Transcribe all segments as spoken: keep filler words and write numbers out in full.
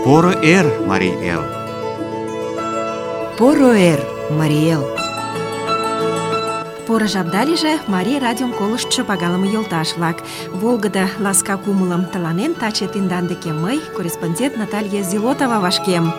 Поро эр, Марий эл! Поро эр, Марий эл! Поро жапда лийже, Марий радиом колыштшо пагалыме йолташ-влак. Волгыдо ласка кумылым тыланен таче тендан деке мый, корреспондент Наталья Зилотова, вашкем.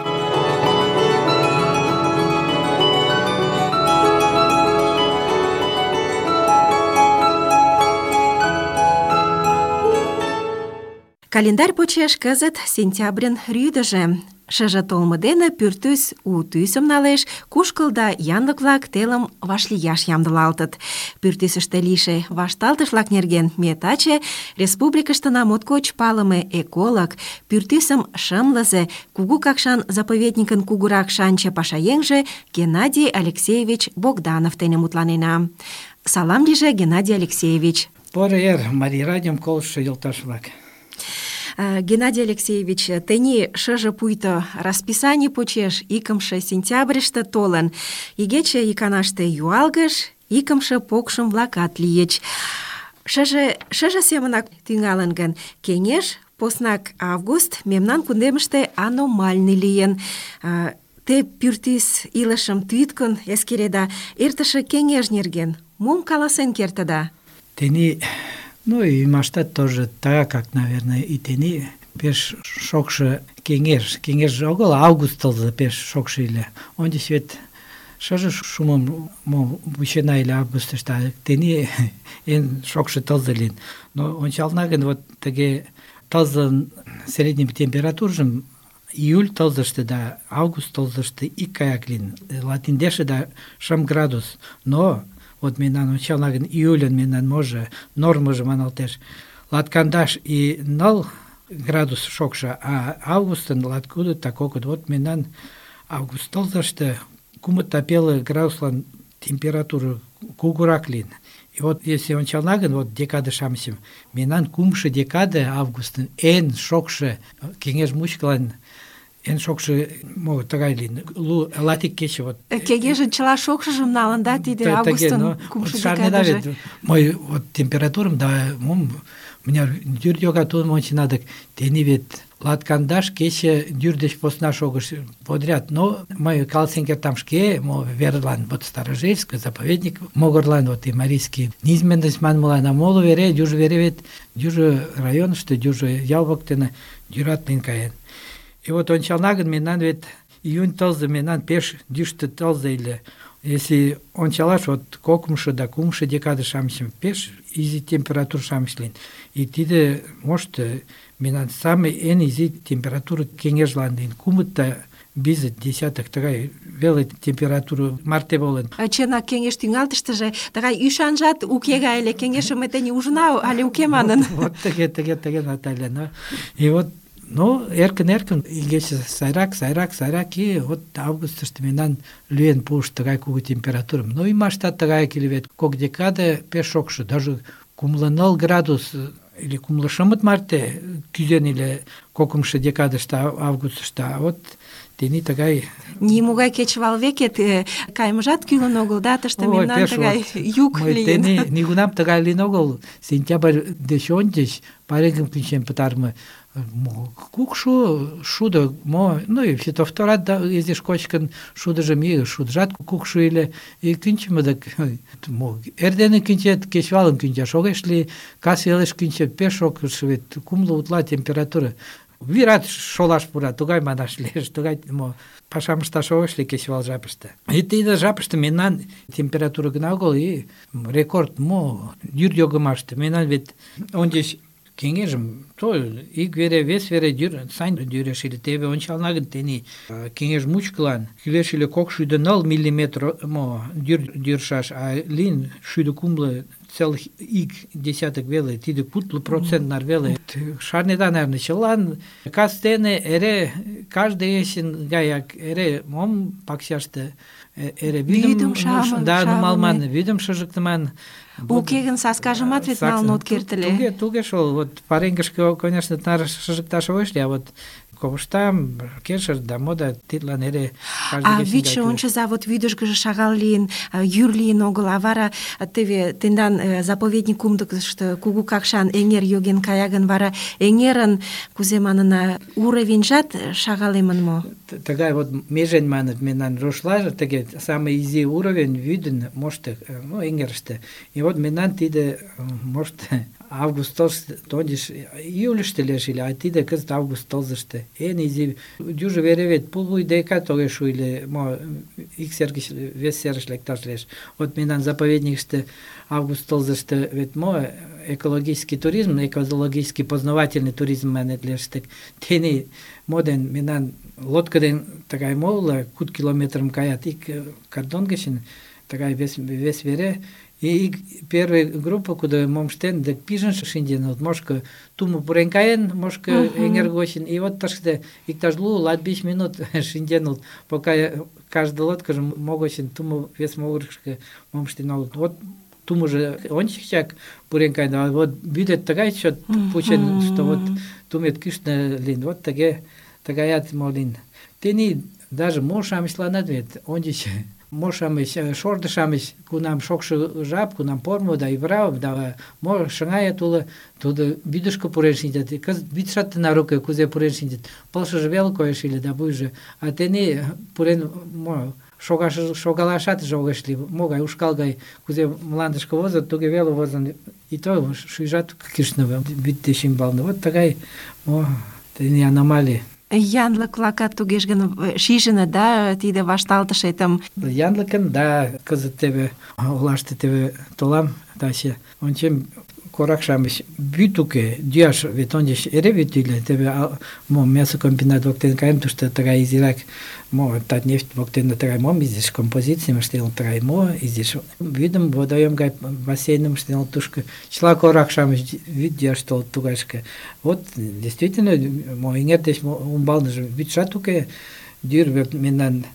Календарь почеш кызыт сентябрьын рӱдыжӧ. Шыже толмо дене пӱртӱс у тӱсым налеш, кушкыл да янлык-влак телым вашлияш ямдылалтыт. Пӱртӱсыштӧ лийше вашталтыш-влак нерген ме таче республикыштына моткоч палыме эколог, пӱртӱсым шымлызе, Кугу Какшан заповедникын кугурак шанче пашаеҥже Геннадий Алексеевич Богданов дене мутланена. Салам лийже, Геннадий Алексеевич. Поро эр, Марий радиом колыштшо йолташ-влак. Геннадий Алексеевич, тений шыже пуйто расписаний почеш икымше сентябрьыште толын. Игече иканаште юалгыш, икымше покшым-влакат лийыч. Шыже, шыже семынак тӱҥалын гын, кеҥеж, поснак август мемнан кундемыште аномальный лийын. Те пӱртӱс илышым тӱткын эскереда, эртыше кеҥеж нерген мом каласен кертыда? Тений... Ну, и ӱмаштат тоже так, как, наверное, и тений пеш шокшо кеҥеж, кеҥеж огыл, август тылзе пеш шокшо ыле. Ончыч вет шыже шумым мо вучена ыле августышто, а тений эн шокшо тылзе лийын. Но ончална гын, вот тыге тылзын средний температуржым июль тылзыште да август тылзыште икгаяк лийын. Латиндеше да шым градус. Но вот мемнан ончална гын, июльын мемнан може нормыжо маналтеш латкандаш и ныл градус шокшо, а августын латкуды такокыт. Вот мемнан август тылзыште кумыт пеле градуслан температура кугурак лийын. И вот если ончална гын, вот декады-шамычым, мемнан кумшо декады августын эн шокшо кеҥеж мучкылан эн шокшо мо тыгай лийын, лу латик кече вот. Кеҥежын чыла шокшыжым налын, да, тиде августын кумшо декадыже. Мой вот температурым, да, мом, мыняр дӱр йога тудым ончена, дык тений вет латкандаш кече дӱр деч посна шогыш подряд. Но мый каласен кертам шке, мо верлан, вот Старожельск, заповедник могырлан, вот и Марийский низменность манмылан, а моло вере, дюжо вере вет, дюжо районышто, дюжо ял воктене дӱрат лийын каен. И вот ончална гын, мемнан вет июнь тылзе мемнан пеш йӱштӧ тылзе ыле. Если ончалаш, вот кокымшо да кумшо декады-шамычым пеш изи температур-шамыч лийын. И тиде, может, мемнан самый эн изи температура кеҥежлан лийын. Кумытта бизет десятых тыгай веле температура марте волен. Чынак, кеҥеж тӱҥалтыштыже тыгай ӱшанжат уке гай ыле. Кеҥежым ме тений ужына але уке манын. Вот тыге, тыге, тыге, Наталья. И вот ну, эркын-эркын игече сайрак, сайрак, сайрак, и вот августышто мемнан лӱен пуыш тыгай кугу температурым. Но ӱмаштат тыгаяк ыле вет, кок декаде пеш шокшо, даже кумло ныл градус или кумло шымыт марте кӱзен ыле кокымшо декадыште августышто, а вот тений тыгай... Нимогай кечывал векет кайымыжат кӱлын огыл, да, тыште мемнан тыгай юг лийын. Тений нигунам тыгай лийын огыл. Сентябрь деч ончыч пареҥгым кӱнчен пытарыме кукшо шудо, мо, ну и фитофторат да изиш кочкын шудыжым и шудыжат кукшо ыле, и кӱнчымӧ дык мо эрдене кӱнчет, кечывалым кӱнчаш огеш лий, кас велеш кӱнчет, пеш шокшо вет, кумло утла температура. Вират шолаш пура, тугай манаш лиеш, тугай мо пашам ышташ огеш лий кечывал жапыште. И тиде жапыште мемнан температура гына огыл, и рекорд мо йӱр йогымаште. Мемнан вет ончыч кеҥежым то ик вере, вес вере дӱр, сайын дӱреш ыле. Теве ончална гын, тений кеҥеж мучкылан кӱлеш ыле кок шӱдӧ ныл миллиметр мо дӱр дӱршаш, а лийын шӱдӧ кумло целых ик десяток веле, тиде кудло процент нар веле. Шарнеда, наверное, чылан кастене эре каждый есен гаяк эре мом пакчаште эре вӱдым шамын, да, нумалман, вӱдым шыжыктыман. Уке гын саскажымат вет налын от керт ыле. Туге, туге шол, вот пареҥгышке, конечно, нар шыжыкташ огеш лий, а вот ковыштам, кешыр да мода тидлан эре А вӱдшӧ ончыза, вот вӱдыжгыжӧ шагал лийын, йӱр лийын огыл, а вара теве тендан заповедник кумдыкышто кугу Какшан эҥер йоген кая гын, вара эҥерын, кузе манына, уровеньжат шагалемын мо? Тыгай вот межень маныт мемнан рушлаже, тыге самый изи уровень вӱдын мошты, ну, эҥерыште. И вот мемнан тиде, может, август тондиш июльыште лиеш ыле, а тиде кызыт август тылзыште. Эн изи южо вере вет пулвуй декат огеш шу иле, мо ик сер гыч вес серыш лекташ лиеш. Вот мемнан заповедникыште август тылзыште вет мо экологический туризм, экологический познавательный туризм манет лиеш. Тений моден мемнан лодка ден тыгай молла куд километрым каят ик кардон гычын, тыгай вес, вес вере. И первая группа, куда момштен, так пижен шинден, вот мошка туму пурен каен, мошка эҥер гочын, и вот таште иктаж лу латбиш минут шинден, пока каждая лодка же могочын туму вес могырышка момштен, вот туму же ончикчак пурен каен, а вот бюдет тагай счет пучен, что вот тумет кишна лин, вот таге тагаят молин. Тени даже мошам сланат вет, ончич Мошамыч, шордышамыч, кунам шокшо жап, кунам пормо да иврав, да мо шыҥая туло, тудо вӱдышкӧ пурен шинчат. Кызыт вӱдшат тынар уке, кузе пурен шинчат. Пылшыже веле коеш ыле да вуйжо. А тений пурен мо шогаш шогалашат огеш лий. Могай ушкал гай кузе мландышке возыт, туге веле возын. И то шӱйжат кӱшнӧ вӱд деч ӱмбалне. Вот тыгай мо тений аномалий. Янлык-влакат тугеж гын шижыныт, да, тиде вашталтышетым? Янлыкын, да, кызыт теве олаште теве толам, таче ончем корак-шамыч вӱд уке, йӱаш вет ончыч эре вӱд ыле, теве мо мясокомбинат воктен каем, тушто тыгай изирак мо Татнефть воктене тыгай мом изиш композицийым ыштен, тыгай мо изиш вӱдым водоем гай бассейным ыштен, тушко чыла корак-шамыч вӱд йӱаш толыт тугайышке. Вот действительно мо эҥер деч умбалныже вӱдшат уке, йӱр вет мемнан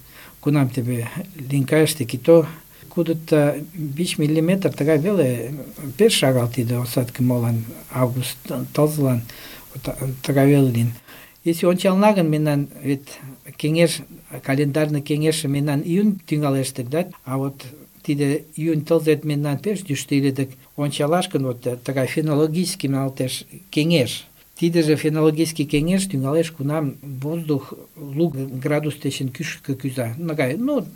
кунам теве линкайыште кито кудыто вич миллиметр тыгай веле пеш шагал тиде осадке молан август тылзылан тыгай веле лийын. Если ончална гын мемнан вет кеҥеж, календарный кеҥежше мемнан июнь тӱҥалеш дык, да, а вот тиде июнь тылзет мемнан пеш йӱштӧ ыле дык, ончалаш гын вот тыгай фенологический маналтеш кеҥеж. Тидыже фенологический кеҥеж тӱҥалеш, кунам воздух лу градус дечын кӱшкӧ кӱза. Нагай, ну,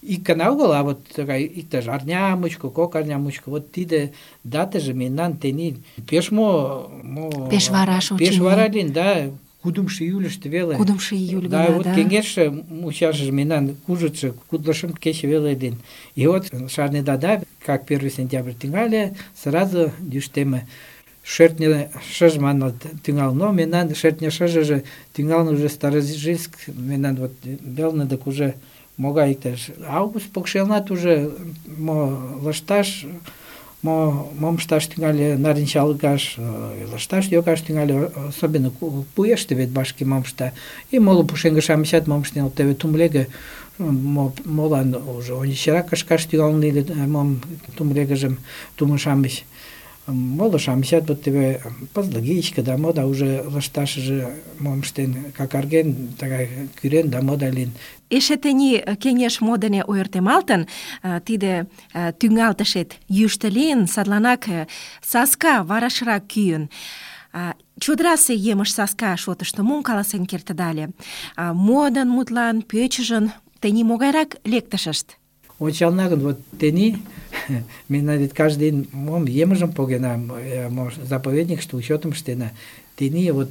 ик гана огыл, а вот тыгай иктаж арня мучко, кок арня мучко, вот тиде датыже мемнан тений пеш мо... мо пеш вараш, очыни. Пеш вара лийын, да, кудымшо июльыште веле. Кудымшо июль да, гына, вот да. кеҥежше мучашыже мемнан кужытшо кудло шым кече веле лийын. И вот шарнеда, да, как первый сентябрь тӱҥале, сразу йӱштеме. Шӧртньӧ шыж манын тӱҥал, но мемнан шӧртньӧ шыжыже тӱҥалын уже Старожильск, мемнан вот велне дык уже могай иктаж август покшелнат уже мо лышташ, мо мом ышташ тӱҥале, нарынчалгаш, лышташ йогаш тӱҥале, особенно пуэште вет вашке мом ышта. И моло пушеҥге-шамычат мом ыштен, теве тумлеге молан уже ончычрак кышкаш тӱҥалын ыле, мом тумлегыжым тумо-шамыч. Моло-шамычат вот теве пызлыгичке да мода уже лышташыже мом ыштен, какарген, тыгай кӱрен да мода лийын. Эше тений кеҥеж мо дене ойыртемалтын, тиде тӱҥалтышет йӱштӧ лийын, садланак саска варашрак кӱын. Чодырасе емыж саска шотышто мом каласен кертыда ыле? Модын, мутлан, пӧчыжын тений могайрак лектышышт? Ончална гын, вот тений мемнан вет каждый день мом емыжым погена, заповедникыште учетым ыштена. Тений вот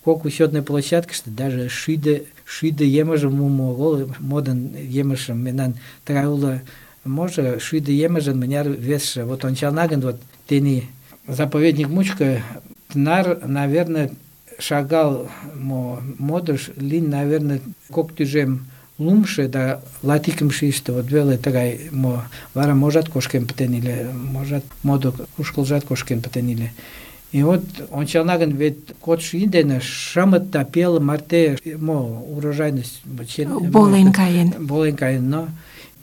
кок учетный площадкыште даже шӱдӧ шӱдӧ емыжым мумо огыл, модын емыжым мемнан тыгай уло, можо шӱдӧ емыжын мыняр весше. Вот ончална гын, вот тений заповедник мучко тынар, наверное, шагал мо модыш лийын, наверное, кок тӱжем лумше да латикымше иште, вот веле тыгай мо вара можат кошкен пытен иле, можат модо кушкылжат кошкен пытен иле. И вот ончална гын, вет кодшо ий дене шымыт да пел марте мо урожайность волен каен. Волен каен, но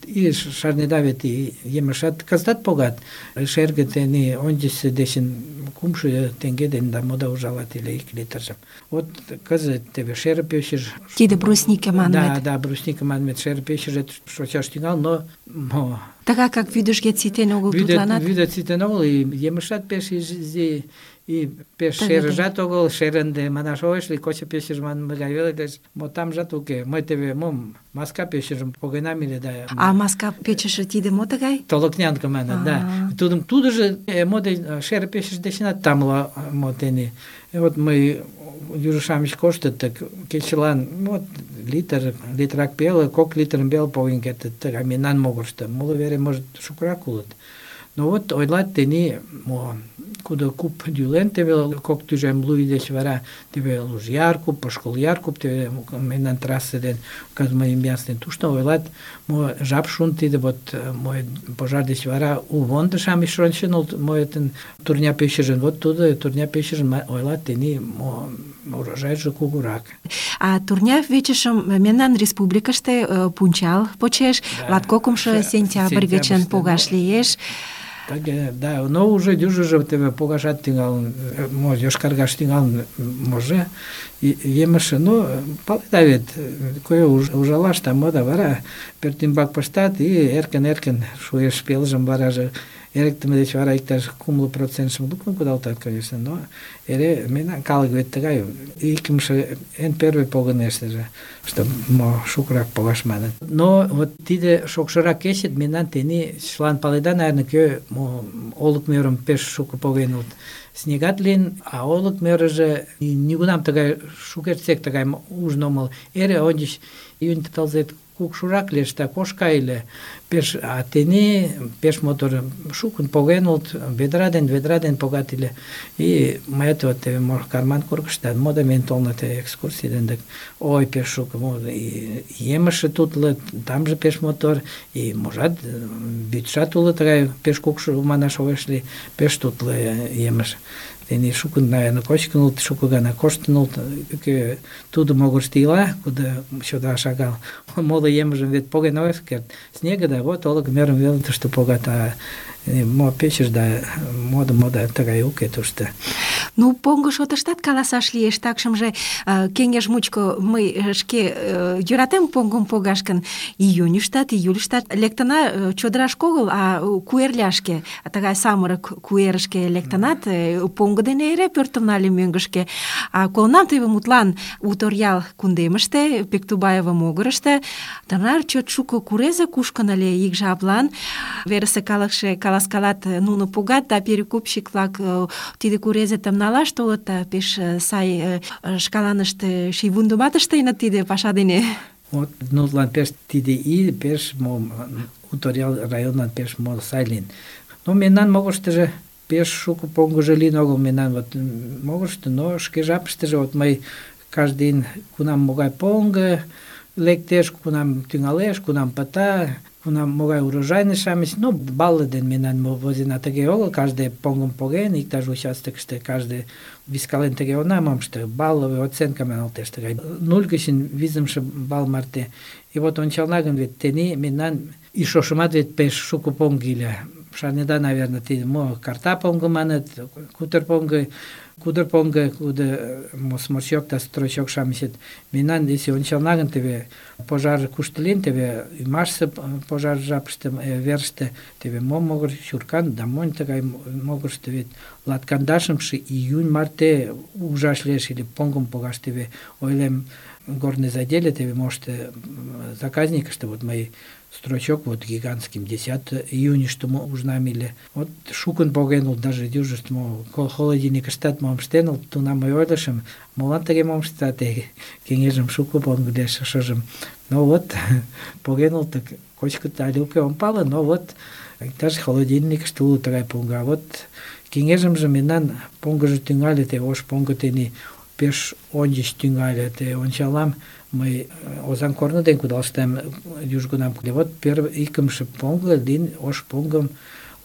и шарнеда вет и емешат кызытат погат. Шерге тений ончыч дечын кумшо теҥге дене да мода ужалат ыле ик литржым. Вот кызыт теве шер пӧчыж... Тиде брусника манмет. Да, да, брусника манмет, шер пӧчыжӧ шочаш тӱҥал, но... мо... Тыгак как вӱдыжгет ситен огыл тудланат? Вӱдет ситен огыл, и емешат пеш изи, и пеш шерыжат огыл, шерынде манаш огеш лий, кочо пӧчыж манме гай веле, деч мо тамжат уке. Мый теве мом маска пӧчыжым погенам ыле да... А маска пӧчыжӧ тиде мо тыгай? Толокнянка маныт, да. Тудым тудыжо мо деч шер пӧчыж дечынат тамле мо тений. Вот мый южо-шамыч коштыт, так кечылан вот литр, литрак пеле, кок литрым веле поген кертыт, тыгай мемнан могырышто. Моло вере, может, шукырак улыт. Но вот ойлат тений, мо кудо куп дӱлен, теве кок тӱжем лу ий деч вара, теве Лужяр куп, Пошкол-Яр куп, теве мемнан трасса ден Казмаимбянс ден тушто ойлат, мо жап шуын тиде вот мой пожар деч вара улвондо-шамыч шонченыт, моетын турня пӧчыжын, вот тудо турня пӧчыжын ойлат тений, мо урожайже кугурак. А турня пӧчыжым мемнан республикыште пунчал почеш, латкокымшо сентябрь гычын погаш лиеш. Так, да, но уже дюжыжо теве погашат тӱҥалын, мо йошкаргаш тӱҥалын може, емыже, но паледа вет, кое ужалаш да мо да вара пӧртӱмбак пыштат, и эркын-эркын шуэш пелыжым, вараже эрыктыме деч вара иктаж кумло процентшым луктын кудалтат, конечно, но эре мемнан калык вет тыгай, икымше эн первый погынештыже, что мо шукырак погаш маныт. Но вот тиде шокшырак кечет мемнан тений чылан паледа, наверное, кӧ мо олык мӧрым пеш шуко поген улыт. Снегат лийын, а олык мӧрыжӧ нигунам тыгай шукертсек тыгай ужын омыл. Эре ончыч июнь тылзет кукшурак лиеш да кошка ыле. Пеш, а тений пеш мотор шукын поген улыт, ведра ден ведра ден погат ыле. И мыят вот теве карман кургыштат, мода мен толнат экскурсий ден дык. Ой, пеш шуко, и емыжше тутлы, тамже пеш мотор, и можат вӱдшат уло тыгай пеш кукшо манаш огеш лий, пеш тутлы емыж. Тений шукын, наверное, кочкын улыт, шуко гана коштын улыт, кӧ тудо могырышто ила, кудо чодыра шагал. Моло емыжым вет поген огеш керт. Снега да вот олык мӧрым веле тушто погат, а мо пӧчыж да мода-мода тыгай уке тушто. Ну, поҥго шотыштат каласаш лиеш, такшымже кеҥеж мучко мый шке йӧратем поҥгым погаш гын, июньыштат, июльыштат лектына чодырашке огыл, а куэрляшке, тыгай самырык куэрышке лектынат, поҥго дене эре пӧртым нале мӧҥгышкӧ. А колынам теве мутлан у Торъял кундемыште, Пектубаева могырышто, тынар чот шуко курезе кушкын ыле ик жаплан. Верысе калыкше каласкалат, нуно погат, да перекупщик-влак тиде курезетым налаш толыт, да пеш сай шкаланышт шийвундымат ыштеныт тиде паша дене. Вот, нутлан пеш тиде ий, пеш мо у Торъял районлан пеш мо сай лийын. Но мемнан могырыштыжо пеш шуко поҥгыжо лийын огыл мемнан вот могырышто, но шке жапыштыже вот мый каждый день кунам могай поҥго лектеш, кунам тӱҥалеш, кунам пыта, кунам могай урожайный-шамыч, ну, балле ден мемнан возена тыге огыл, каждый поҥгым поген, иктаж участокыште каждый вискален тыге она мом ыште, балловый оценка маналтеш тыгай. Нуль гычын визымше балл марте. И вот ончална гын вет тений мемнан и шошымат вет пеш шуко поҥго иле. Шарнеда, наверное, тиде мо карта поҥго маныт, кутыр поҥго, кудыр поҥго, кудо мо сморчок да строчок-шамычет. Мемнан, если ончална гын, теве пожар кушто лийын, теве ӱмашсе пожар жапыште верыште, теве мо могыр чуркан да монь тыгай могырышто вет латкандашымше июнь марте ужаш лиеш или поҥгым погаш, теве ойлем горный заделе, теве можете заказникыште, вот мои строчок вот гигантским десятого июня, что мы ужнамили. Вот шукын поген улыт, даже дюжышт мо холодильникыштат мом ыштен улыт, тунам мый ойлышым, молан тыге мом ыштат, кеҥежым шуко поҥго лиеш, шыжым. Ну вот, поген улыт, так кочкыт але уке ом пале, но вот иктаж холодильникыште уло тыгай поҥго. А вот кеҥежымже мемнан поҥгыжо тӱҥале, те ош поҥго тений пеш ончыч тӱҥале, те ончалам, мый Озаҥ корно ден кудалыштам южгунам. Вот первый икымше поҥго лийын ош поҥгым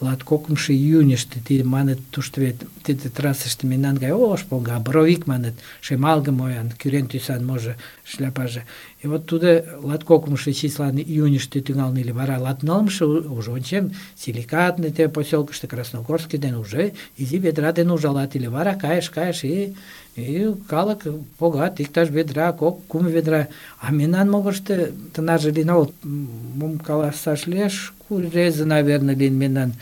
латкокымшо июньышто тиде маныт тушто вет тиде трассыште мемнан гай ош поҥго, а боровик маныт, шемалге моян, кӱрен тӱсан можо шляпаже. И вот тудо латкокымшо числан июньышто тӱҥалын ыле, вара латнылымше уже ончем, силикатный те поселкышто, Красногорский ден уже изи ведра дене ужалат ыле. Вара кайыш, кайыш, и и калык погат, иктаж ведра, кок, кум ведра. А мемнан могырышто тынарже лийын огыл, мом каласаш лиеш, курезе, наверное, лийын мемнан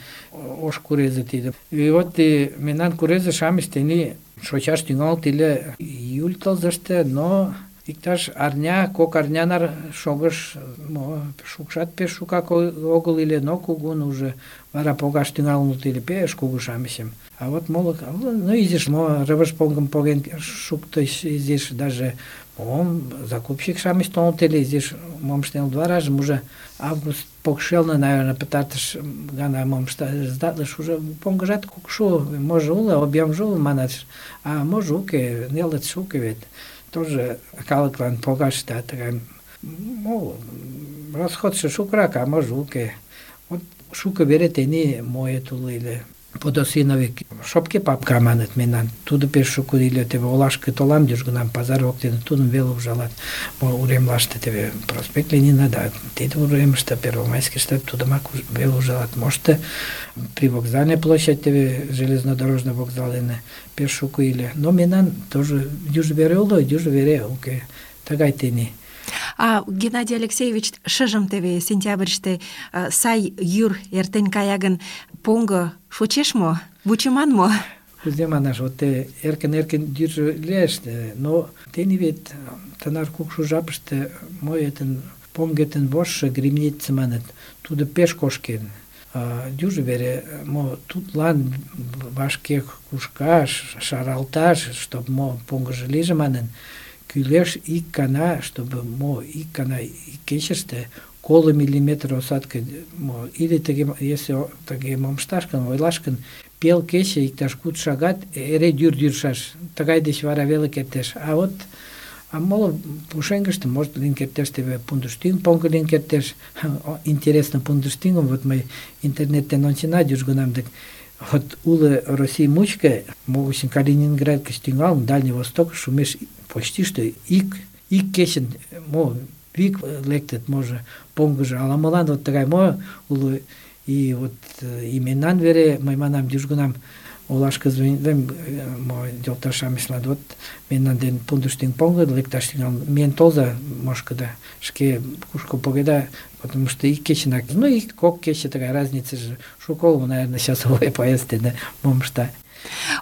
ош курезе тиде. И вот и мемнан курезе-шамыч тений шочаш тӱҥалыт ыле июль тылзыште, но иктаж арня, кок арня нар шогыш, мо, шукшат пеш шукак огыл ыле, но кугун уже вара погаш тӱҥалыныт ыле, пеш кугу-шамычым. А вот моло, ну, изиш, мо, рывыж поҥгым поген шуктыш, изиш даже, мом, закупщик-шамыч толыныт ыле, изиш, мом ыштеныт варажым уже август покшелне, наверное, пытартыш гана мом сдатлыш, уже поҥгыжат кукшу, може уло, объемже уло манат, а може уке, нелытше уке вет. Тоже калыклан погаш да тыгай, мо, расходшо шукрак, а може уке. Вот шуко вере тений моет уло ыле. Подосиновик шопке папка маныт мемнан. Тудо пеш шуко ыле, теве олашке толам южгунам пазар воктене, тудым веле ужалат. Мо уремлаште теве проспект Ленина, да, тиде уремыште, Первомайскийыште тудымак веле ужалат. Можете при вокзальной площади теве железнодорожный вокзал дене пеш шуко ыле. Но мемнан тоже юж вере уло, юж вере уке. Тыгай тений. А Геннадий Алексеевич, шыжым теве сентябрьыште сай йӱр эртен кая гын, поҥго шочеш мо? Вучыман мо? Кузе манаш, вот эркын-эркын йӱржӧ лиеш, но тений вет тынар кукшу жапыште моетын поҥгетын вожшо гремница маныт, тудо пеш кошкен. Южо вере мо тудлан вашке кушкаш, шаралташ, чтоб мо поҥгыжо лийже манын, кӱлеш ик гана, чтобы мо ик гана ик кечыште коло миллиметр осадка, мо, или тыге, если тыге мом ышташ гын, ойлаш гын, пел кече иктаж куд шагат эре дӱр дӱршаш, тыгай деч вара веле кертеш. А вот а моло пушеҥгыште, может, лийын кертеш, теве пундыштӱҥ поҥго лийын кертеш. Интересно, пундыштӱҥым вот мый интернет дене онченат южгунам, дык вот уло Россий мучко, могучин Калининград гыч тӱҥалын, Дальний Восток шумеш почти что ик, ик кечын, мо, вик лектыт, може, поҥгыжо, ала-молан вот тыгай мо уло, и вот и мемнан вере, мый манам, южгунам олашке звонитлем, мо, йолташ-шамычлан, вот мемнан ден пундыштӱҥ поҥго лекташ тӱҥалын, миен толза мошкыда, шке кушко погеда, потому что ик кечынак, ну, ик кок кече тыгай разницыже шуко уло, наверное, часовой поезд дене мом ышта.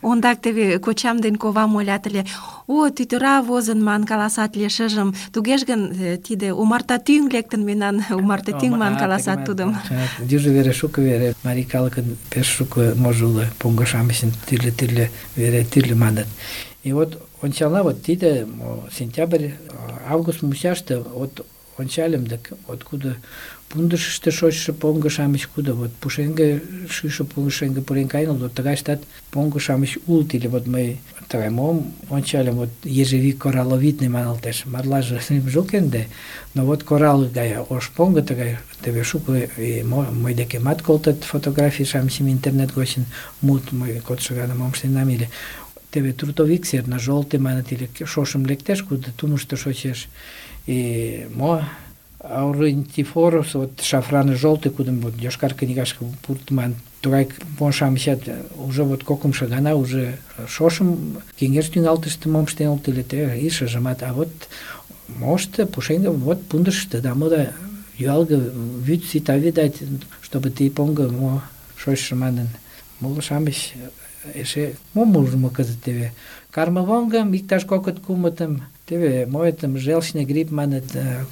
Ондак теве кочам ден ковам ойлат ыле, о, тӱтыра возын ман каласат ыле шыжым, тугеж гын тиде умарта тӱҥ лектын мемнан, умарта тӱҥ ман каласат тудым. Южо вере шуко вере, марий калыкын пеш шуко можо уло, поҥго-шамычын тӱрлӧ-тӱрлӧ вере тӱрлӧ маныт. И вот ончална вот тиде сентябрь, август мучаште, вот ончальым, дык откуда пундышышто шочшо поҥго-шамыч, кудо вот пушеҥге шӱйшӧ пушеҥге пурен каеныт, вот тыгайыштат поҥго-шамыч улыт, или вот мый тыгай мом ончальым, вот ежевик коралловидный маналтеш, марлаже лӱмжӧ уке ынде, но вот коралл гай ош поҥго тыгай, теве шуко мый декемат колтат фотографий-шамычым интернет гочын мут, мый кодшо гана мом ыштенам ыле. Теве трутовик серно-жолтый маныт, или шошым лектеш, кудо тумышто шочеш, и мо аурентифорус, вот шафрано-желтый, кудым вот йошкар книгашке пуртман, тугай мо-шамычат уже вот кокымшо гана уже шошым кеҥеж тӱҥалтыште мом ыштеныт ыле, те и шыжымат, а вот мошто пушеҥге вот пундышышто, да мода юалге вӱд сита, видать, чтобы ты поҥго мо шочшо манын. Моло-шамыч эше мом ужмо кызыт теве кармывоҥгым иктаж кокыт-кумытым, теве моэтым желчный грипп маныт,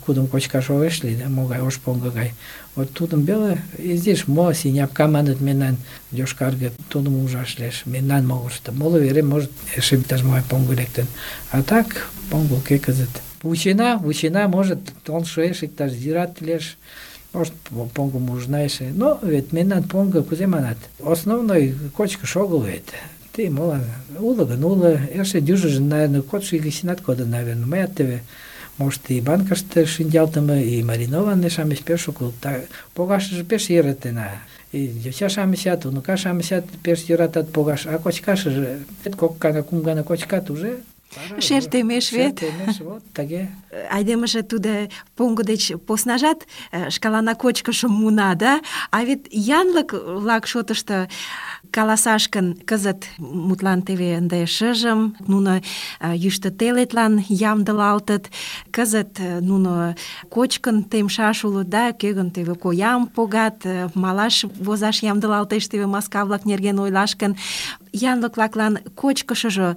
кудым кочкаш огеш лий, да, могай ош поҥго гай. Вот тудым веле изиш мо синяпка маныт мемнан йошкарге, тудым ужаш лиеш мемнан могырышто. Моло вере может эше иктаж-могай поҥго лектын. А так поҥго уке кызыт. Вучена, вучена, может, он шуэш, иктаж зират лиеш, может, поҥгым ужына эше. Но вет мемнан поҥго кузе манат? Основной кочкыш огыл вет. Ты, молан, уло гын уло, эше дюжыжын, наверное, кодшо игысинат кодын, наверное. Мыят теве может, и банкаште шинчалтыме, и маринованный-шамыч пеш шуко. Погашыже пеш йӧратена. И йоча-шамычат, унука-шамычат пеш йӧратат погаш, а кочкашыже кок гана, кум гана кочкат уже. Шер темеш вет. Шер темеш, вот, тыге. Айдемыже тудо поҥго деч поснажат шкаланак кочкышым муна, да? А вет янлык-влак шотышто каласаш гын, кызыт мутлан теве ынде шыжым, нуно йӱштӧ телетлан ямдылалтыт, кызыт нуно кочкын темшаш улыт, да, кӧ гын теве коям погат, малаш возаш ямдылалтеш, теве маска-влак нерген ойлаш гын, янлык-влаклан кочкышыжо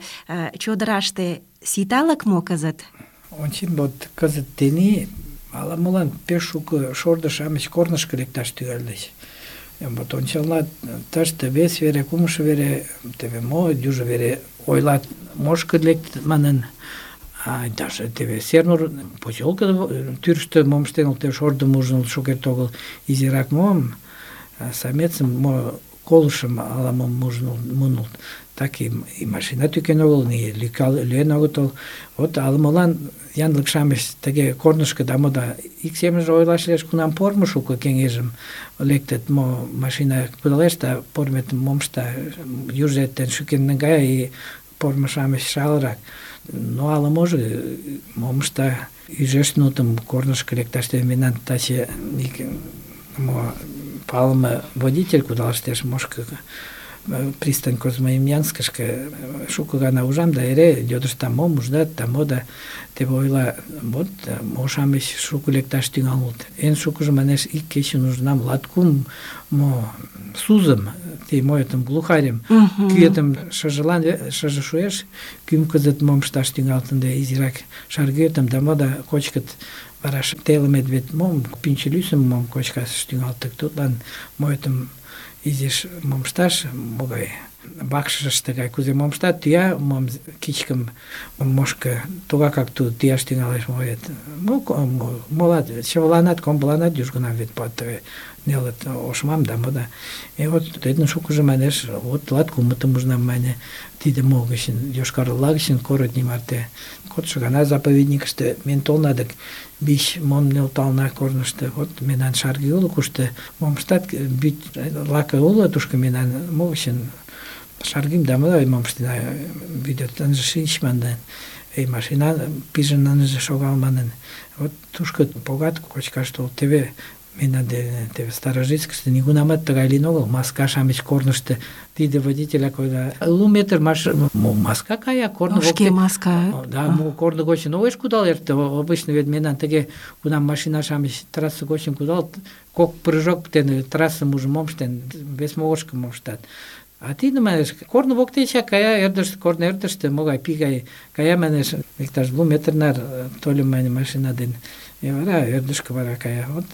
чодыраште ситалык мо кызыт? Ончен, вот кызыт тений ала-молан пеш шуко шордо-шамыч корнышко лекташ тӱҥальыч. Вот ончалат, тыште вес вере, кумшо вере, теве мо, южо вере ойлат, мошко лектыт манын, а даже теве Сернур поселко тӱрыштӧ мом ыштен улыт, шордым ужын улыт шукерте огыл, изирак мом, самецым мо колышым ала-мом ужын муын улыт. Так и, и машина тӱкен огыл, ни лӱен огытыл. Вот ала-молан янлык-шамыч тыге корнышко да мода ик семынже ойлаш лиеш, кунам пормо шуко кеҥежым лектыт, мо машина кудалеш да порметым мом ышта, южо эртен шӱкен наҥгая, и пормо-шамыч шалырак. Но ала-можо мом ышта, ӱжеш нутым корнышко лекташ. Мемнан таче ик мо палыме водитель кудалыштеш мошко пристань Козьмоемьянскышке шуко гана ужам, да эре йодыштам, мом уждат, да мо да теве ойла, вот мо-шамыч шуко лекташ тӱҥалыт. Эн шукыжо, манеш, ик кечын ужынам латкум мо сузым, те моэтым глухарьым, кӱэтым шыжылан шыже шуэш, кӱм кызыт мом ышташ тӱҥалыт, ынде изирак шаргӱэтым да мо да кочкыт. Вара телымет вет мом пӱнчӧ лӱсым мом кочкаш тӱҥалыт, тудлан моэтым изиш мом ышташ, могай вакшышыште гай кузе мом ыштат, тӱя мом кичкым мошко тугакак тудо тӱяш тӱҥалеш моет. Молат, чывыланат, комбыланат южгунам вет пуат тыгай нелыт ошмам да мо да. И вот тидын шукыжо, манеш, вот латкумытым ужынам, мане, тиде мо гычын, Йошкар-Ола гычын Коротний марте. Кодшо гана заповедникыште мен толна дык биш мом нӧлтална корнышто. Вот мемнан шарге уло, кушто мом ыштат, бӱт лаке уло, тушко мемнан мо гычын шаргим да мо да мом ыштена, вӱдет ынже шинч манын, и машина пижын ынже шогал манын. Вот тушко погат кочкаш толыт. Теве мемнан дене теве Старожитскыште нигунамат тыгай лийын огыл. Маска-шамыч корнышто тиде водителяк ойла, лу метр маш... мо маска кая, корно воктен. Шке маска. Да, мо корно гочын огеш кудал эрте. Обычно вет мемнан тыге, кунам машина-шамыч трасса гочын кудалыт, кок прыжок дене трассым ужын мом ыштен, вес могырышко мом ыштат. А тиде, манеш, корно воктечак кая, ӧрдыжтӧ, корно ӧрдыжтӧ, могай пий гай кая, манеш, иктаж лу метр нар тольым, мане, машина дене. И вара ӧрдыжкӧ вара кая. Вот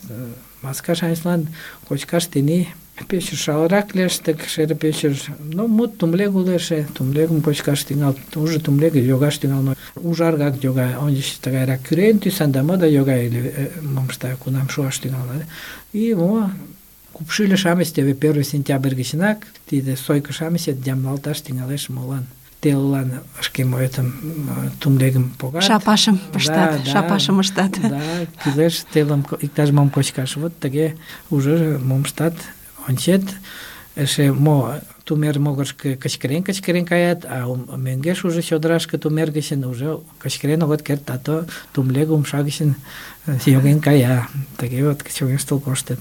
маска-шамычлан кочкаш тений пеш шалырак лиеш, тык шере пешер, ну, мут тумлег уло эше, тумлегым кочкаш тӱҥалыт, уже тумлег йогаш тӱҥалын, ужаргак йога, ончыч тыгайрак кӱрен тӱсан да мо да йога, или мом ышта, кунам шуаш тӱҥалын. И мо купшӱльӧ-шамыч теве первый сентябрь гычынак тиде сойко-шамычет ямдылалташ тӱҥалеш, молан телылан шке моэтым тумлегым погат. Шапашым пыштат, шапашым ыштат. Да, кӱлеш телым иктаж-мом кочкаш. Вот тыге уже мом ыштат, ончет, эше мо тумер могырышко кычкырен-кычкырен каят, а мӧҥгеш уже чодырашке тумер гычын уже кычкырен огыт керт, а то тумлег умша гычын йоген кая. Тыге вот чоҥештыл коштыт.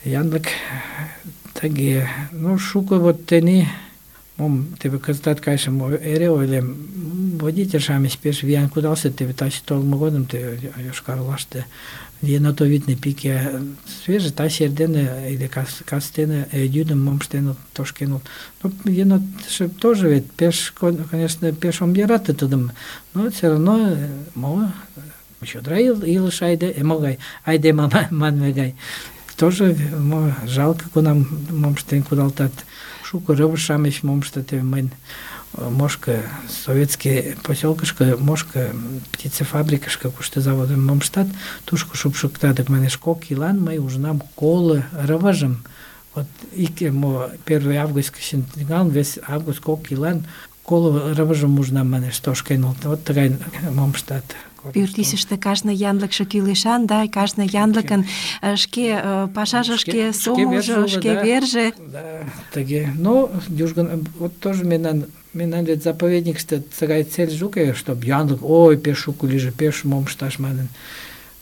Янлык тыге, ну, шуко вот тений мом теве кызытат кайышым эре ойлем, водитель-шамыч пеш виян кудалыштыт, теве таче толмо годым теве Йошкар-Олаште енотовидный пике свеже, таче эрдене или кастене йӱдым мом ыштен тошкенут. Ну, енотшо тоже вет пеш, конечно, пеш ом йӧрате тудым, но все равно мо чодыра илыш айде, могай айдеме манме гай. Тоже мо жалко, кунам мом ыштен кудалтат. Шуко рывыж-шамыч мом ыштат, теве мыйын мошко советский поселкышко, мошко птицефабрикышко, кушто заводым мом ыштат, тушко шупшыкта, дык, манеш, кок ийлан мый ужынам коло рывыжым. Вот ик мо первый август гычын тӱҥалын, вес август кок ийлан коло рывыжым ужынам, манеш, тошкен улыт. Вот тыгай мом ыштат. Пӱртӱсыштӧ кажне янлыкше кӱлешан, да, кажне янлыкын э, шке э, пашаже, шке сомылжо, шке верже. Да, тыге. Но южган вот тоже мемнан мемнан вет заповедникыште тыгай цельже уке, чтоб янлык, ой, пеш шуко лийже, пеш мом ышташ манын.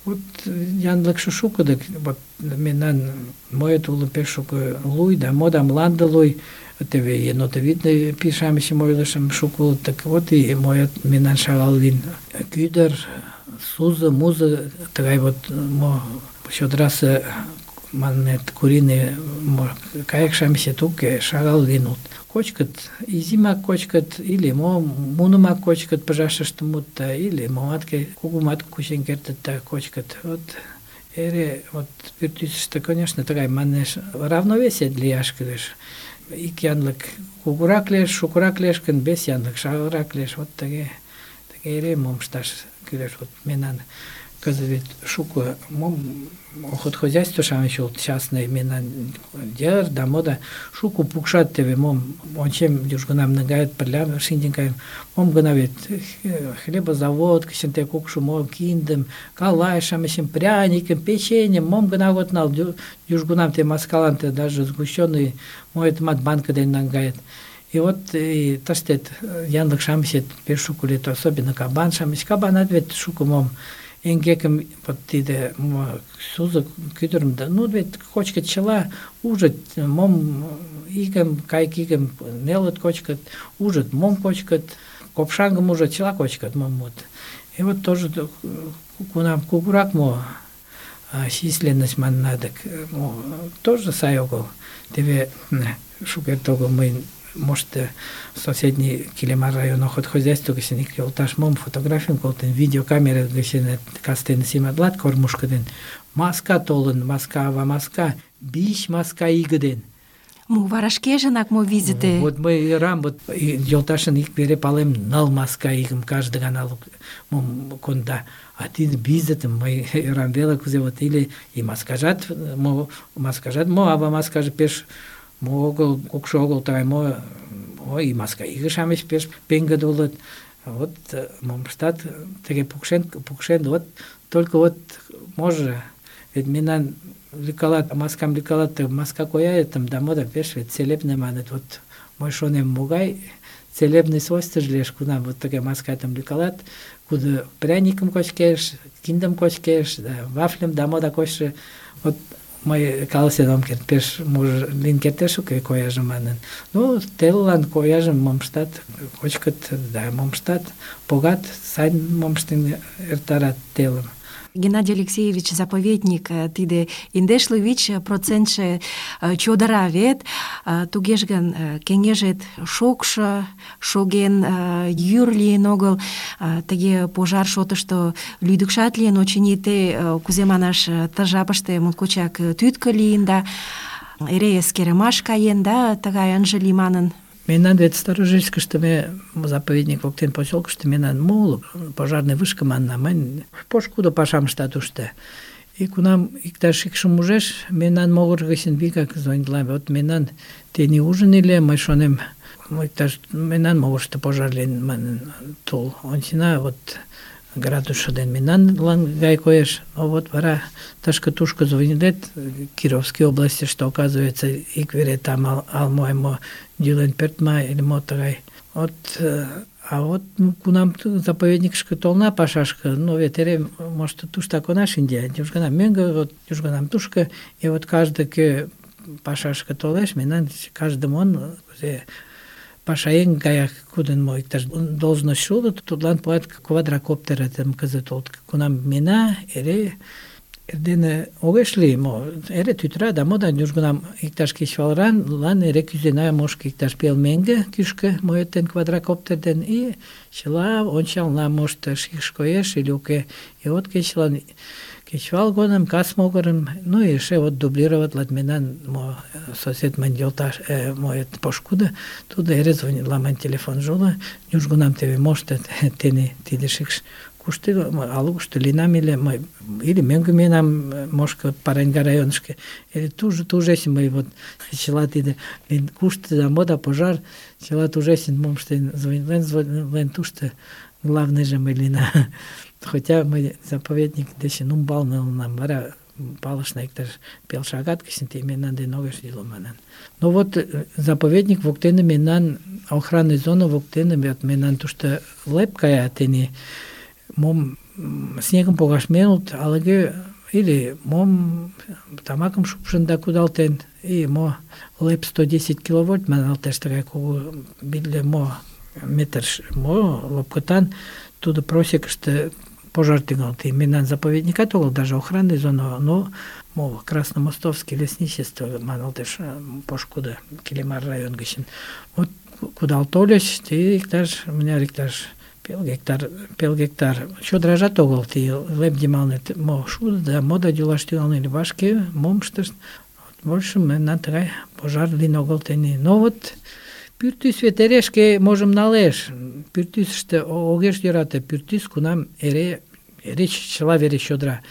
Вот янлыкше шуко, дык вот мемнан моет уло пеш шуко луй, да мода мланде луй. Теве енотовидный пишамышым ойлышым шуко улыт, так вот и моет мемнан шагал лийын. Кӱдыр, сузо, музо, тыгай вот мо чодырасе манмет куриный кайык-шамычет уке, шагал лийын улыт. Кочкыт, изимак кочкыт, или мо мунымак кочкыт, пыжашыште мут, да, или момат кугумат кучен кертыт да кочкыт. Вот эре вот пӱртӱсыштӧ, конечно, тыгай манеш равновесие лияш кӱлеш. Ик янлык кугурак лиеш, шукырак лиеш гын, вес янлык шагалрак лиеш. Вот тыге, тыге эре мом ышташ кӱлеш. Вот мемнан кызыт вет шуко мом охотхозяйство-шамыч улыт частный, мемнан йыр да мода шуко пукшат, теве мом ончем южгунам наҥгает пырля шинчын каем, мом гына вет хлебозавод гычын те кукшо мо киндым, калай-шамычым, пряникым, печеньем, мом гына огыт нал, южгунам те маскалан те даже сгущенный моэтымат банка дене наҥгает. И вот и тыштет янлык-шамычет пеш шуко лийыт, особенно кабан-шамыч. Кабанат вет шуко мом эҥгекым вот тиде сузо кӱдырым, да, ну вет кочкыт чыла, ужыт мом игым, кайык игым нелыт кочкыт, ужыт мом кочкыт, копшаҥгым ужыт, чыла кочкыт мом вот. И вот тоже кунам кугурак мо численность манына, дык тоже сай огыл. Теве шукерте огыл мый может, соседний Килемар район охотхозяйство гычын ик йолташ мом фотографийым колтен, видеокамера гычын кастене симатлат кормушко ден. Маска толын, маска ава маска, биш маска иге ден. Мо вара шкежынак мо визите? Вот мый ӧрам, вот йолташын ик вере палем, ныл маска игым каждый гана мом конда. А тиде визитым мый ӧрам веле, кузе вот или и маскажат, мо маскажат, мо ава маскаже пеш мо огыл, кукшо огыл, тыгай мо, ой, и маска иге-шамыч пеш пеҥгыде улыт. Вот мом ыштат, тыге пукшен, пукшен, вот только вот може, вет мемнан лӱкалат, маскам лӱкалат, маска кояетым, да мода пеш вет целебный маныт. Вот мый шонем, могай целебный свойствыжо лиеш, кунам вот тыге маскатым лӱкалат, кудо пряникым кочкеш, киндым кочкеш, да вафльым, да мода кочшо. Вот мый каласен ом керт, пеш може лийын кертеш уке кояжым манын. Ну, телылан кояжым мом ыштат, кочкыт, да мом ыштат, погат, сайын мом ыштен эртарат телым. Геннадий Алексеевич заповедник, тиде индешле вич процентше чодыра вет, тугеж гын кеҥежет шокшо, шоген, йӱр лийын огыл, тыге пожар шотышто лӱдыкшат лийын, очыни те, кузе манаш, ты жапыште моткочак тӱткӧ лийын да эре эскерымаш каен, да, тыгай ынже лий манын. Мемнан вет Старожильскыште ме заповедник воктен поселкыште мемнан моло пожарный вышка манна, мынь пошкудо пашам ыштат тушто. И кунам иктаж икшым ужеш, мемнан могыр гычын вигак звонитлат. Вот мемнан тений ужин иле, мый шонем, иктаж мемнан могырышто пожар лийын манын тул. Ончена вот градусшо ден мемнанлан гай коеш. Но вот вара тышке-тушко звонитлет Кировской области, что оказывается ик вере там ал, ал дюлен пертма или мо тыгай. Вот, а вот кунам заповедникышке толна пашашка, ну вет эре может туштак она шинде, южганам мӧҥгӧ, вот южганам тушко, и вот каждый кӧ пашашке толеш, мемнан каждымын кузе пашаеҥ гаяк кудын мо иктаж должность улыт, тудлан пуат квадрокоптерым кызыт улыт. Кунам мина, эре эрдене огеш лий, мо эре тӱтыра, да мода южгунам иктаж кечывалран лан эре кӱзена мошко иктаж пел меҥге кӱшкӧ моэтен квадрокоптер ден, и чыла ончална, может шикш коеш или уке. И вот кечылан кечывал годым, кас могырым, ну и эше вот дублироватлат мемнан мо сосед мынь йолташ, э, моет пошкудо, тудо эре звонитла мынь телефонжо уло, южгунам теве может тений тиде шикш кушто алушто лийынам или мый или мӧҥгӧ миенам Мошко Параньга районышке, или туже тужесин мый вот чыла тиде кушто да мода пожар, чыла тужесин мом ыштен звонитлен, звонитлен тушто главныйже мый лийына. Хотя мый заповедник дечын умбалне улынам, вара палышна иктаж пел шагат гычын те мемнан дене огеш лийыло манын. Но вот заповедник воктене мемнан охранный зона воктене мемнан тушто леп кая тений мом снегым погаш менылт, алыге или мом тамакым шупшын да кудалтен, и мо леп сто десять киловольт маналтеш тыгай кугу битле мо метр мо лопкытан тудо просекыште пожар тӱҥалте. И мемнан заповедникат огыл, даже охранный зона, но мо Красномостовский лесничество маналтеш пошкудо Килимар район гычын. Вот кудал тольыч, те иктаж мыняр иктаж пел гектар, пел гектар. Чодыражат огыл, те леп йымалне мо шудо да мо да йӱлаш тӱҥалын, вашке мом ыштышт. Больше мемнан тыгай пожар лийын огыл тений. Но вот пӱртӱс вет эре шке можым налеш. Пӱртӱсыштӧ огеш йӧрате, пӱртӱс кунам эре эре чыла вере чодыра.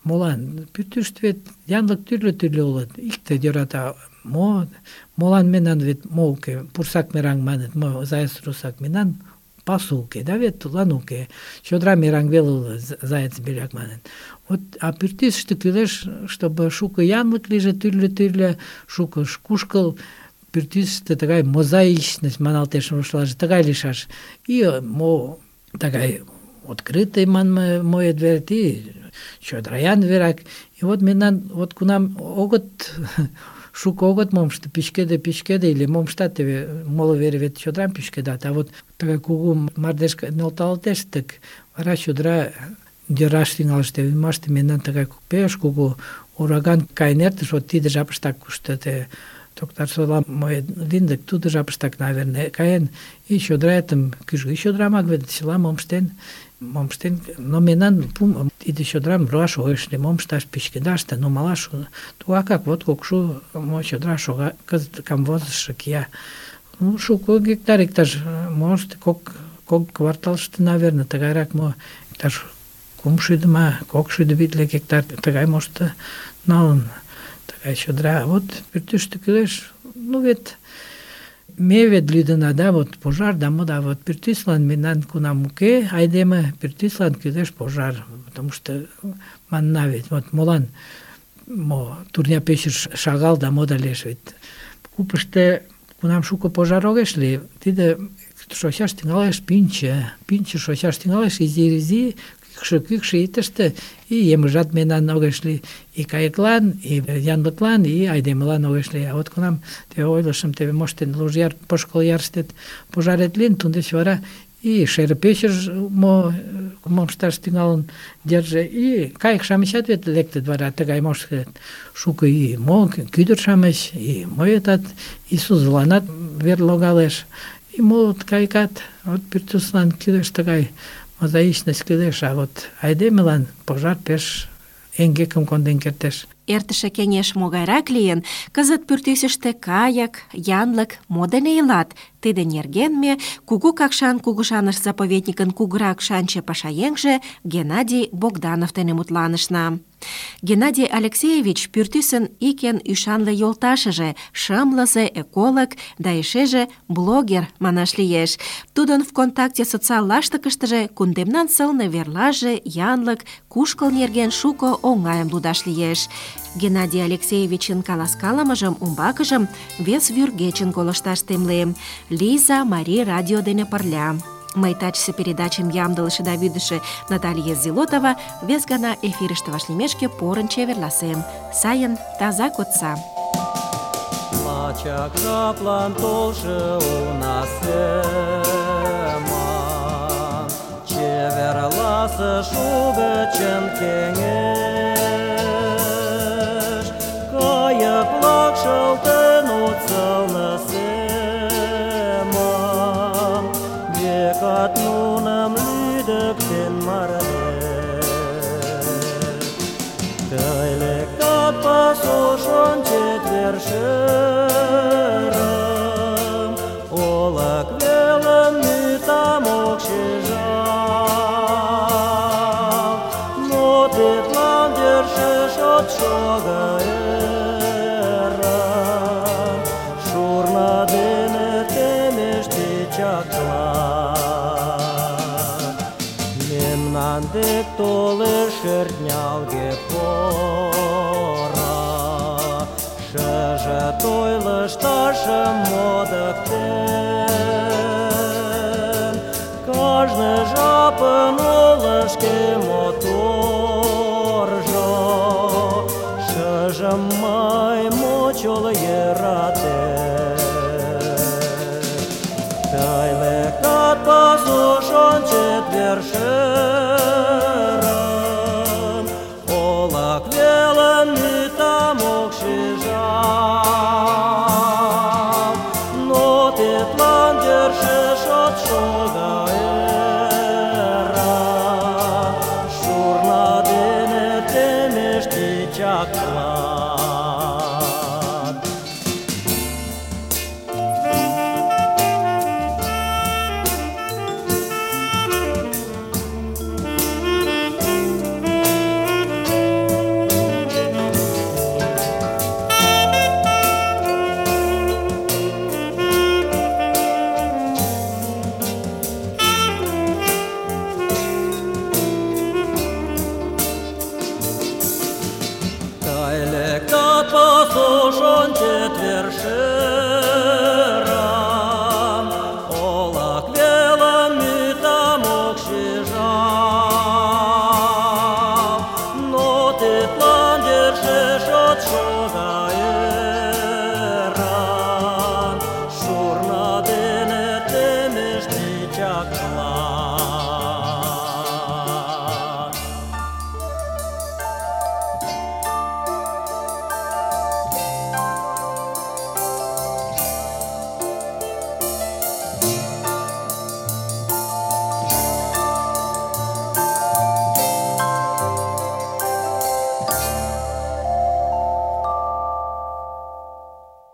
Молан? Пӱртӱсыштӧ вет янлык тӱрлӧ-тӱрлӧ улыт. Икте йӧрата мо, молан мемнан вет мо уке, пурсак мераҥ маныт, мо заяц русак, мемнан пасу уке, да вет тудлан уке. Чодыра мераҥ веле уло, заяц беляк маныт. Вот, а пӱртӱсыштӧ кӱлеш, чтобы шуко янлык лийже, тӱрлӧ-тӱрлӧ, шуко кушкыл, пӱртӱсыштӧ тыгай мозаичность маналтеш рушлаже, тыгай лийшаш. И мо тыгай открытый манме моет верет, и чодыраян верак. И вот мемнан, вот кунам огыт, шуко огыт момышто пӱчкеде, пӱчкеде, или момыштат моло вере вет чодырам пӱчкедат, а вот тыгай кугу мардеж нӧлталтеш, тык вара чодыра йӧраш тӱҥалеш. Ӱмаште мемнан тыгай пеш кугу ураган каен эртыш, вот тиде жапыштак кушто те Токтарсола моет линдык, тудо жапыштак, наверное, каен, и чодыраэтым кӱжгӱ чодырамак вет чыла мом ыштен, мом ыштен, но мемнан пум тиде чодырам руаш огеш лий, мом ышташ, пӱчкедаш да нумалаш. Тугакак вот кукшу мо чодыра шога, кызыт камвозышо кия. Ну, шуко гектар, иктаж, может, кок, кок кварталыште, наверное, тыгайрак мо, иктаж кумшӱдӧ ма, кокшӱдӧ витле гектар, тыгай мошто налын. Тыгай чодыра. Вот пӱртӱсштӧ кӱлеш. Ну вет ме вет лӱдына, да, вот пожар, да мо, да, вот пӱртӱслан мемнан кунам уке, айдеме пӱртӱслан кӱлеш пожар, потому что манна вет, вот молан мо турня печыш шагал да мо да лиеш вет. Купышто кунам шуко пожар огеш лий, тиде шочаш тӱҥалеш пӱнчӧ, пӱнчӧ шочаш тӱҥалеш изи-изи, кӱкшӧ-кӱкшӧ итыште, и емыжат мемнан огеш лий, и кайыклан, и янлыклан, и айдемылан огеш лий. А вот кунам теве ойлышым, теве моштен Лужяр Пошкол ярыштет пожарет лийын, туддеч вара и шере печыш мо мом ышташ тӱҥалын держе, и кайык-шамычат вет лектыт вара тыгай моштет. Шуко и мо кӱдыр-шамыч, и моетат, и сузыланат вер логалеш, и молот кайыкат. Вот пӱртӱслан кӱлеш тыгай мозаичность кӱлеш, а вот айдемылан пожар пеш эҥгекым конден кертеш. Эртыше кеҥеж могайрак лийын, кызыт пӱртӱсыштӧ кайык, янлык мо дене илат? Тиде нерген ме Кугу Какшан кугыжаныш заповедникын кугурак шанче пашаеҥже Геннадий Богданов дене мутланышна. Геннадий Алексеевич пӱртӱсын ик эн ӱшанле йолташыже, шымлызе эколог да эшеже блогер манаш лиеш. Тудын ВКонтакте социал лаштыкыштыже кундемнан сылне верлаже, янлык, кушкыл нерген шуко оҥайым лудаш лиеш. Геннадий Алексеевичын каласкалымыжым умбакыжым вес вӱргечын колышташ темлем. Лиза Мари радио дене пырля. Мый тачысе передачым ямдылыше да вӱдышӧ Наталья Зилотова вес гана эфирыште вашлиймешке порын чеверласем. Сайын, таза кодса. Лачак жаплан толжо уна семан, чеверласыш угычын кеҥеж, кайык-влак шылтен от сылне семан, векат нуным лӱдыктен мардеж. Тый лектат пасуш ончет вершӧрым, олык велым мӱтам ок шижал, но тидлан йӧршеш от шого ӧрым. толеш шӧртнялге пора. Шыже той лышташым модыктен, кажне жапын уло шке моторжо. Шыжым мый мочол йӧратем.